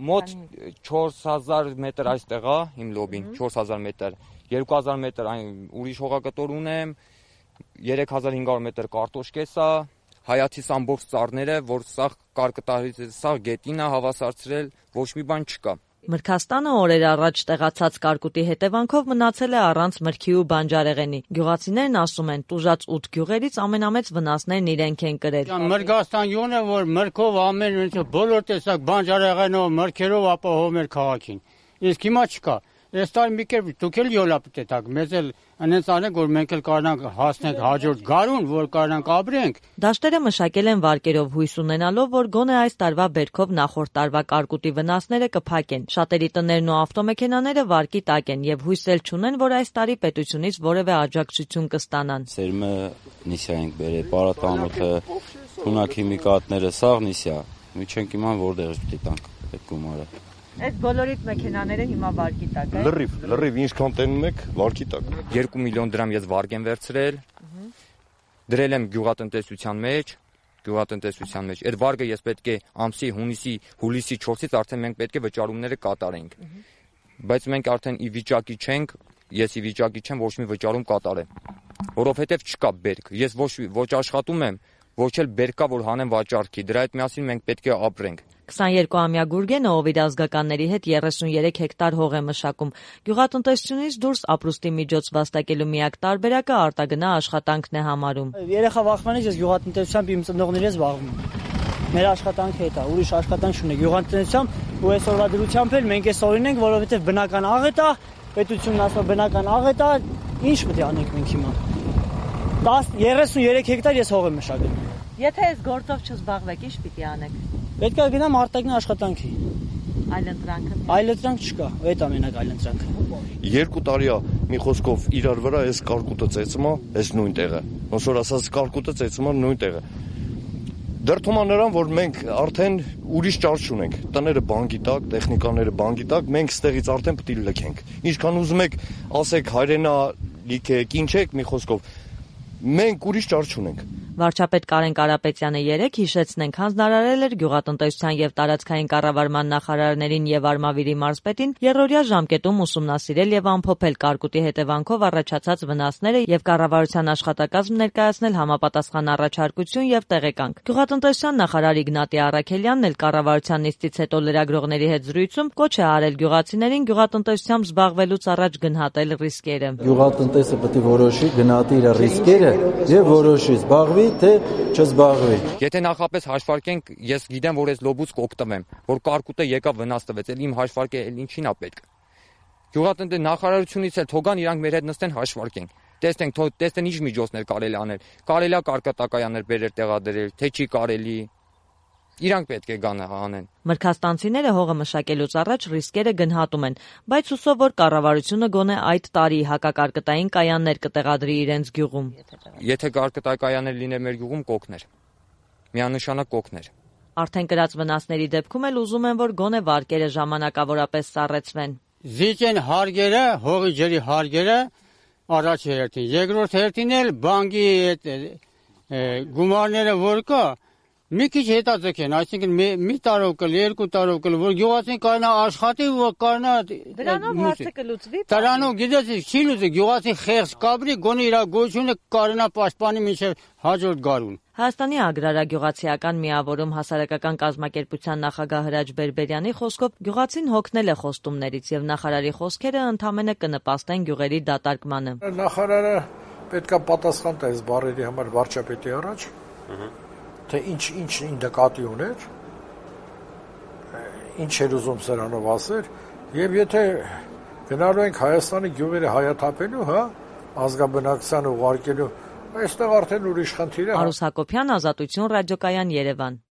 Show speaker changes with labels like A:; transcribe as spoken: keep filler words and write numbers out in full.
A: Մոտ չորս հազար մետր այստեղ է իմ լոբին, չորս հազար մետր, երկու հազար մետր ուրիշ հողակտոր ունեմ, երեք հազար հինգ հարյուր մետր կարտոշկես է, հայացիս ամբողջ ծառները, որ սա կարկտահարից, սա գետին է հավասարցրել, ոչ մի բան չկա։
B: Մրգաստանը օրեր առաջ տեղացած կարկուտի հետևանքով մնացել է առանց մրգի ու բանջարեղենի։ Գյուղացիներն ասում են, տուժած ութ գյուղերից ամենամեծ վնասներն իրենք են կրել։
C: Մրգաստան յոն է, որ մրգով ամեն բոլոր տեսակ բանջարեղենով, մրգերով ապահովում էր քաղաքին։ Իսկ հիմա չկա։ Այս տարի մի կերպ դուք էլ յոլա պտետակ, մեզ էլ անենց անենք, որ մենք էլ կարողանանք հասնենք հաջորդ գարուն, որ կարողանանք ապրենք։
B: Դաշտերը մշակել են վարկերով հույս ունենալով, որ գոնե այս տարվա բերքով նախորդ տարվա կարկուտի վնասները կփակեն։ Շատերի տներն ու ավտոմեքենաները վարկի տակ են եւ հույս էլ չունեն, որ այս տարի պետությունից որևէ աջակցություն կստանան։
D: Սերմը նիսյա ենք բերել, պարատանոթը, թունաքիմիկատները, սաղ նիսյա։ Մի չենք իման որտեղից պիտի տանք այդ գումարը։
B: Այս բոլորիդ մեքենաները հիմա վարկի տակ է։
E: Լրիվ, լրիվ ինչքան տենում եք, վարկի տակ։
A: երկու միլիոն դրամ ես վարկ եմ վերցրել։ Դրել եմ գյուղատնտեսության մեջ, գյուղատնտեսության մեջ։ Այդ վարկը ես պետք է ամսի հունիսի, հուլիսի չորսից արդեն մենք պետք է վճարումները կատարենք։ Բայց մենք արդեն ի վիճակի չենք, ես ի վիճակի չեմ ոչ մի վճարում կատարեմ, որովհետև չկա բերք։ Ես ոչ ոչ աշխատում եմ, ոչ էլ բերք կա, որ հանեմ վաճառքի։ Դրա հետ միասին մենք պետք է ապրենք։
B: քսաներկուամյա Գուրգենը, ով իր ազգականների հետ երեսունյերեք հեկտար հող է մշակում։ Գյուղատնտեսությունից դուրս ապրուստի միջոց վաստակելու միակ տարբերակը արտագնա աշխատանքն է համարում։
F: Երեխա վախվանից ես գյուղատնտեսությամբ իմ ծնողների հետ զբաղվում եմ։ Մեր աշխատանքը հետ է, ուրիշ աշխատանք չունենք։ Գյուղատնտեսությամբ ու այսօրվա դրությամբ էլ մենք այս օրին ենք, որովհետև բնական աղետ է, պետությունն ասում բնական աղետ է, ինչ պետք է անենք մենք հիմա։ երեսունյերեք հեկտար ես հող եմ մշակել։
B: Եթե այս գործով չզբաղվեք, ինչ պիտի անեք։
F: Պետք է գնամ արտագնա աշխատանքի։
B: Այլընտրանքը։
F: Այլընտրանք չկա, այդ ամենակ այլընտրանքը։
E: Երկու տարի է մի խոսքով իրար վրա այս կարկուտը ծեծում է, այս նույն տեղը։ Ոնց որ ասած կարկուտը ծեծում է նույն տեղը։ Դրդում է նրան, որ մենք արդեն ուրիշ ճար չունենք։ Տները բանկի տակ, տեխնիկաները բանկի տակ, մենք ստեղից արդեն պետք է լքենք։ Ինչքան ուզում եք, ասեք հայրենա լիքեք, ինչ եք, մի խոսքով։ Մենք ուրիշ ճար չունենք։
B: Վարչապետ Կարեն Կարապետյանը երեկ հիշեցնենք հանձնարարել էր գյուղատնտեսության եւ տարածքային կառավարման նախարարներին եւ Արմավիրի մարզպետին երրորդյա ժամկետում ուսումնասիրել եւ ամփոփել կարկուտի հետևանքով առաջացած վնասները եւ կառավարության աշխատակազմ ներկայացնել համապատասխան առաջարկություն եւ տեղեկանք։ Գյուղատնտեսության նախարար Իգնատի Առաքելյանն էլ կառավարության նիստից հետո լրագրողների հետ զրույցում կոչ է արել գյուղացիներին գյուղատնտեսությամբ զբաղվելուց առաջ գնահատել ռիսկերը։
G: Գյուղատնտեսը պետք է որոշի, գնահատի իր ռիսկերը եւ որոշի զբաղվի թե չզբաղվի։
A: Եթե նախապես հաշվարկենք, ես գիտեմ, որ այս լոբուց կօգտվեմ, որ կարկուտը եկավ վնաս տվեց, էլ իմ հաշվարկը էլ ինչին է պետք։ Գյուղատնտեսության նախարարությունից էլ թողան իրանք մեր հետ նստեն հաշվարկենք։ Տեսնենք, տեսնեն ինչ միջոցներ կարելի անել։ Կարելի է կարկատակայաններ բերել տեղադրել, թե չի կարելի։ Իրանք պետք է գան անեն։
B: Մրգաստանցիները հողը մշակելուց առաջ ռիսկերը գնահատում են, բայց հուսով որ կառավարությունը գոնե այդ տարի հակակարկտային կայաններ կտեղադրի իրենց գյուղում։
A: Եթե կարկտակայաններ լիներ մեր գյուղում կօգներ։ Միանշանակ կօգներ։
B: Արդեն կրած վնասների դեպքում էլ ուզում են, որ գոնե վարկերը ժամանակավորապես սառեցվեն։
C: Զիջեն հարգերը, հողի ջրի հարգերը առաջ հերթին։ Երկրորդ հերթին էլ բանկի այդ գումարները որ կա մի քիչ հետաձգեն, այսինքն մի տարով կլ, երկու տարով կլ, որ գյուղացին կարողանա աշխատի ու կարողանա
B: դրանով հարցը կլուծվի։
C: Դրանով գիտես չի լուծի, գյուղացին խեղճ կապրի, գոնե իր գոյությունը կարողանա պաշտպանի մինչև հաջորդ գարուն։
B: Հայաստանի ագրարագյուղացիական միավորում հասարակական կազմակերպության նախագահ Հրաչ Բերբերյանի խոսքով գյուղացին հոգնել է խոստումներից եւ նախարարի խոսքերը ընդամենը կնպաստեն գյուղերի դատարկմանը։
H: Նախարարը պետքա պատասխան տա այս բառերի համար վարչապետի առաջ։ Թե ինչ ինչ նկատի ուներ, ինչ էր ուզում սրանով ասեր, եւ եթե գնալու ենք Հայաստանի գյուղերը հայաթափելու, հա, ազգաբնակչությանը ուղարկելու, այստեղ արդեն ուրիշ խնդիր է։
B: Արուս Հակոբյան, Ազատություն, Ռադիոկայան, Երևան։